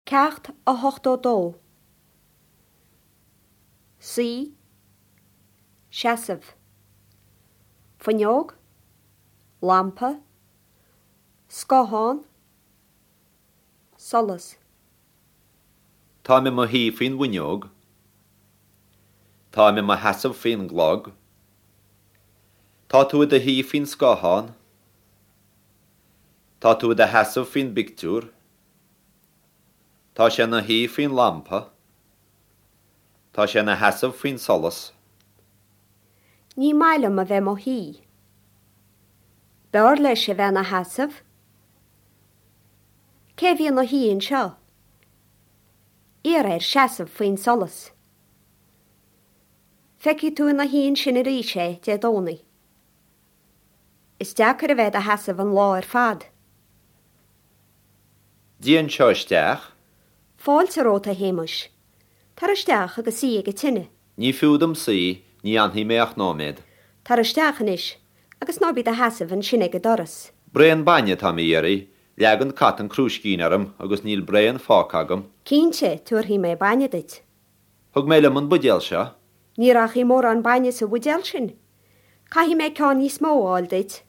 Ceacht 82. Suí. Seasamh. Fuinneog. Lampa. Scáthán. Solas. Táim i mo shuí faoin bhfuinneog. Táim i mo sheasamh faoin gclog. Tá tú i do shuí faoin scáthán. Tá tú i do sheasamh faoin bpictiúr. Tá sé ina shuí faoin lampa. Tá sé ina sheasamh faoin solas. Ní maith liom a bheith 'mo shuí. B'fhearr leis a bheith ina sheasamh. Cé a bhí ina shuí anseo? Iarr air seasamh faoin solas. Feicfidh tú ina shuí ansin arís é Dé Domhnaigh. Is deacair a bheith i do sheasamh an lá ar fad. Dia anseo isteach. Fáilte romhat, a Shéamuis. Tar isteach agus suigh ag an tine. Ní fiú dom suí, ní fhanfaidh mé ach nóiméad. Tar isteach anois agus ná bí i do sheasamh ansin ag an doras. Braon bainne atáim a iarraidh, leag an cat an crúiscín orm agus níl braon fágtha agam. Cinnte, tabharfaidh mé bainne duit. Thug mé liom an buidéal seo. Ní rachaidh mórán bainne sa bhuidéal sin. Caithfidh mé ceann níos mó a fháil duit.